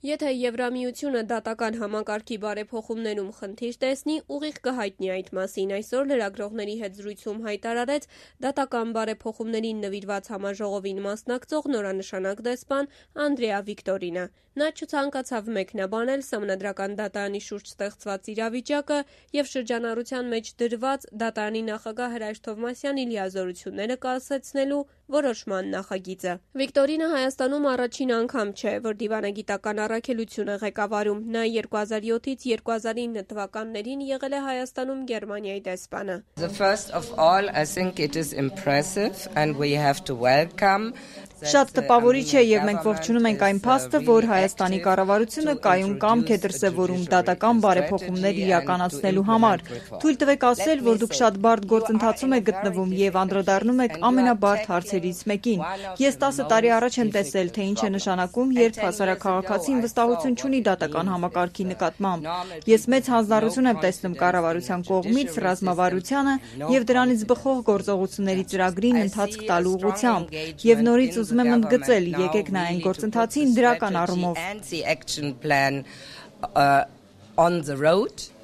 Եթե Եվրամիությունը դատական համակարգի բարեփոխումներում խնդիր տեսնի, ուղիղ կհայտնի այդ մասին, այսօր լրագրողների հետ զրույցում հայտարարեց դատական բարեփոխումներին նվիրված համաժողովին մասնակցող նորանշանակ դեսպան Անդրեա Վիկտորինը։ Նա չցանկացավ մեկնաբանել Սահմանադրական դատարանի շուրջ ստեղծված իրավիճակը և շրջանառության մեջ դրված դատարանի նախագահ Հրայր Թովմասյանի լիազորությունները կասեցնելու որոշման նախագիծը։ Վիկտորինը Հայաստանում առաջին անգամ չէ, որ դիվանագիտական առաքելություն է ղեկավարում։ Նա 2007-ից 2009 թվականներին եղել է Հայաստանում Գերմանիայի դեսպանը։ First of all, I think it is impressive and we have to welcome. Շատ տպավորիչ է և մենք ողջունում ենք այն փաստը, որ Հայաստանի կառավարությունը կայուն կամք է դրսևորում դատական բարեփոխումներ իրականացնելու համար։ Թույլ տվեք ասել, որ դուք շատ բարդ գործընթացում եք գտնվում և անդրադառնում եք ամենաբարդ հարցերից մեկին։ Ես 10 տարի առաջ եմ տեսել, թե ինչ է նշանակում, երբ հասարակաղաքացին վստահություն չունի դատական համակարգի նկատմամբ։ Ես մեծ հանձնառություն եմ տեսնում կառավարության կողմից ռազմավարությանը և դրանից բխող գործողությունների ծրագրին ընթացք տալու ուղղությամբ և նորից ուզում եմ ընդգծել, եկեք նայենք գործընթացին դրական առումով։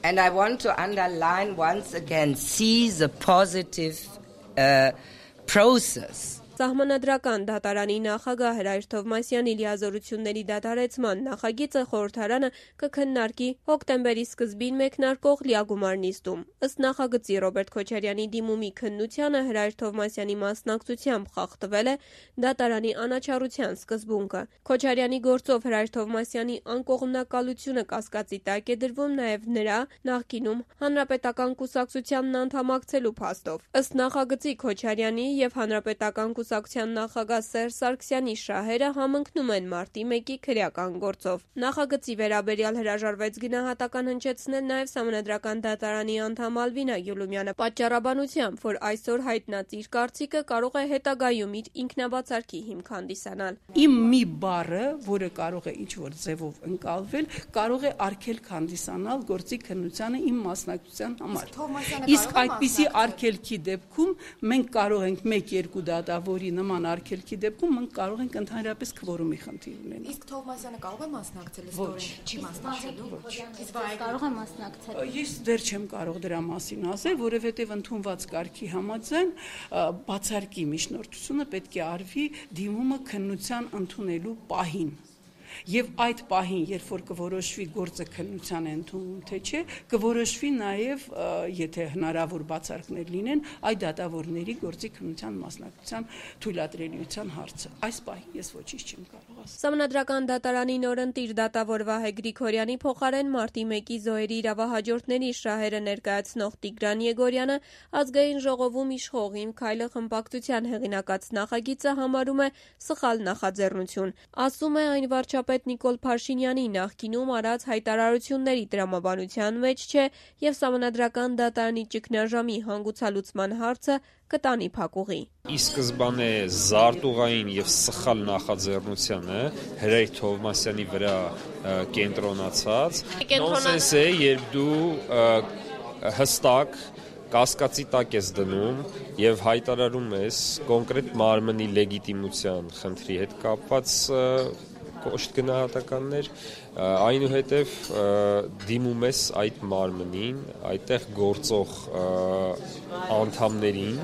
And I want to underline once again, see the positive process. Սահմանադրական դատարանի նախագահ Հրայր Թովմասյանի լիազորությունների դադարեցման նախագիծը խորհրդարանը կքննարկի հոկտեմբերի սկզբին մեկնարկող լիագումար նիստում։ Ըստ նախագծի Ռոբերտ Քոչարյանի դիմումի քննությանը Հրայր Թովմասյանի մասնակցությամբ խախտվել է դատարանի անաչառության սկզբունքը։ Քոչարյանի գործով Հրայր Թովմասյանի անկողմնակալությունը կասկածի տակ է դրվում նաև նրա նախկինում Հանրապետական կուսակցությանն անդամակցելու փաստով։ Ըստ նախագծի Քոչարյանի և Հանրապետական կուսակցության նախագահ Սերժ Սարգսյանի շահերը համընկնում են մարտի 1-ի քրեական գործով։ Նախագծի վերաբերյալ հրաժարվեց գնահատական հնչեցնել նաև Սահմանադրական դատարանի անդամ Ալվինա Գյուլումյանը պատճառաբանությամբ, որ այսօր հայտնած իր կարծիքը կարող է հետագայում իր ինքնաբացարկի հիմք հանդիսանալ։ Իմ մի բառը, որը կարող է ինչ-որ ձևով ընկալվել, կարող է արգելք հանդիսանալ գործի քննությանը իմ մասնակցության համար։ Իսկ այդպիսի արգելքի դեպքում մենք կարող ենք 1-2 դատավորի նման արգելքի դեպքում մենք կարող ենք ընդհանրապես քվորումի խնդիր ունենալ։ Իսկ Թովմասյանը կարող է մասնակցել ստորեն, չի մասնակցելու։ Իսկ կարող է մասնակցել։ Ես դեռ չեմ կարող դրա մասին ասել, որովհետև ընդունված կարգի համաձայն բացարկի միջնորդությունը պետք է արվի դիմումը քննության ընդունելու պահին։ Եվ այդ պահին, երբ որ կորոշվի գործը քննության է ընդունում թե չէ, կորոշվի նաև, եթե հնարավոր բացարկներ լինեն, այդ դատավորների գործի քննության մասնակցության թույլատրելիության հարցը։ Այս պահին ես ոչինչ չեմ կարող ասել։ Սահմանադրական դատարանի նորընտիր դատավոր Վահե Գրիգորյանի փոխարեն մարտի 1-ի զոհերի իրավահաջորդների շահերը ներկայացնող Տիգրան Եգորյանը ազգային ժողովում իշխող «Իմ քայլը» խմբակցության հեղինակած նախագիծը համարում է սխալ նախաձեռնություն։ Ասում է, այն վարչապետ Նիկոլ Փաշինյանի նախկինում արած հայտարարությունների տրամաբանության մեջ չէ և Սահմանադրական դատարանի ճգնաժամի հանգուցալուծման հարցը կտանի փակուղի։ Ի սկզբանե զարտուղային և սխալ նախաձեռնությանը Հրայր Թովմասյանի վրա կենտրոնացած նոնսենս է, երբ դու հստակ կասկածի տակ ես դնում և հայտարարում ես կոնկրետ մարմնի լեգիտիմության խնդրի հետ կապված կոշտ գնահատականներ, այնուհետև դիմում ես այդ մարմնին, այդտեղ գործող անդամներին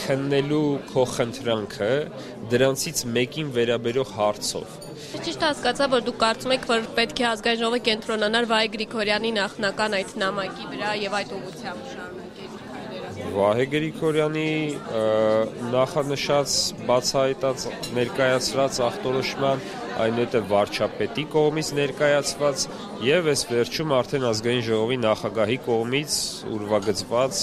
քննելու քո խնդրանքը դրանցից մեկին վերաբերող հարցով։ Ճիշտ հասկացա, որ դուք կարծում եք, որ պետք է ազգային ժողովը կենտրոնանար Վահե Գրիգորյանի նախնական այդ նամակի վրա և այդ ուղղությամբ շարունակել քայլերը։ Վահե Գրիգորյանի նախանշած բացահայտած ներկայացրած ախտորոշման, այնուհետև վարչապետի կողմից ներկայացված և այս վերջում արդեն ազգային ժողովի նախագահի կողմից ուրվագծված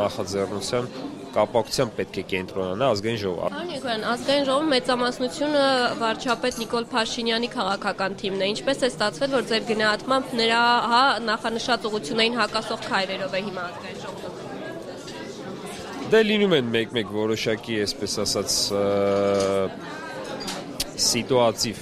նախաձեռնության կապակցությամբ պետք է կենտրոնանա ազգային ժողովը։ Պարոն Եգորյան, ազգային ժողովի մեծամասնությունը վարչապետ Նիկոլ Փաշինյանի քաղաքական թիմն է։ Ինչպես է ստացվել, որ ձեր գնահատմամբ նրա նախանշած ուղղություններին հակասող քայլերով է հիմա ազգային ժողովը։ Դե լինում են մեկ-մեկ որոշակի, այսպես ասած, սիտուատիվ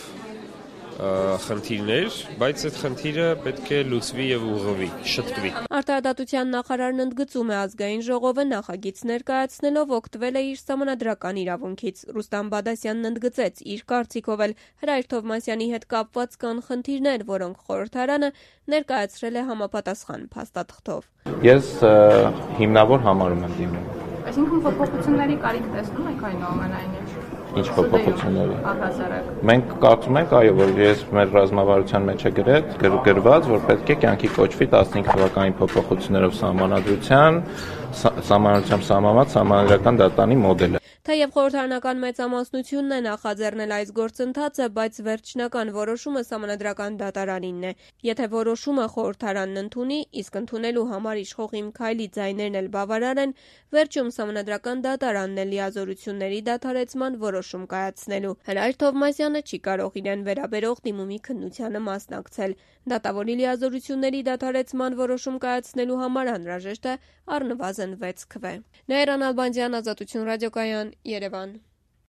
խնդիրներ, բայց այդ խնդիրը պետք է լուծվի եւ ուղղվի, շտկվի։ Արտահայտության նախարարն ընդգծում է ազգային ժողովը նախագիծ ներկայացնելով օգտվել է իր սահմանադրական իրավունքից։ Ռուստամ Բադասյանն ընդգծեց, իր կարծիքով էլ Հրայր Թովմասյանի հետ կապված կան խնդիրներ, որոնք խորհրդարանը ներկայացրել է համապատասխան փաստաթղթով։ Ես հիմնավոր համարում եմ դիմում։ Այսինքն փոփոխությունների կարիք տեսնում եք այնուամենայնիվ։ Ինչ փոփոխությունների։ Մենք կարծում ենք, այո, որ մեր ռազմավարության մեջ է գրված, որ պետք է կյանքի կոչվի 15 թվականի փոփոխություններով սահմանադրությամբ սահմանված սահմանադրական դատարանի մոդելը։ Թեև խորհրդարանական մեծամասնությունն է նախաձեռնել այս գործընթացը, բայց վերջնական որոշումը սահմանադրական դատարանինն է։ Եթե որոշումը խորհրդարանն ընդունի, իսկ ընդունելու համար իշխող Իմ Քայլի ձայներն էլ բավարար են, վերջում սահմանադրական դատարանն է լիազորությունների դադարեցման որոշում կայացնելու։ Հրայր Թովմասյանը չի կարող իրեն վերաբերող դիմումի քննությանը մասնակցել։ Դատավորի լիազորությունների դադարեցման որոշում կայացնելու համար անհրաժեշտ է առնվազն 6 քվե։ Նայիրան Ալբանդյան, Ազատություն ռադիոկայան, Երևան։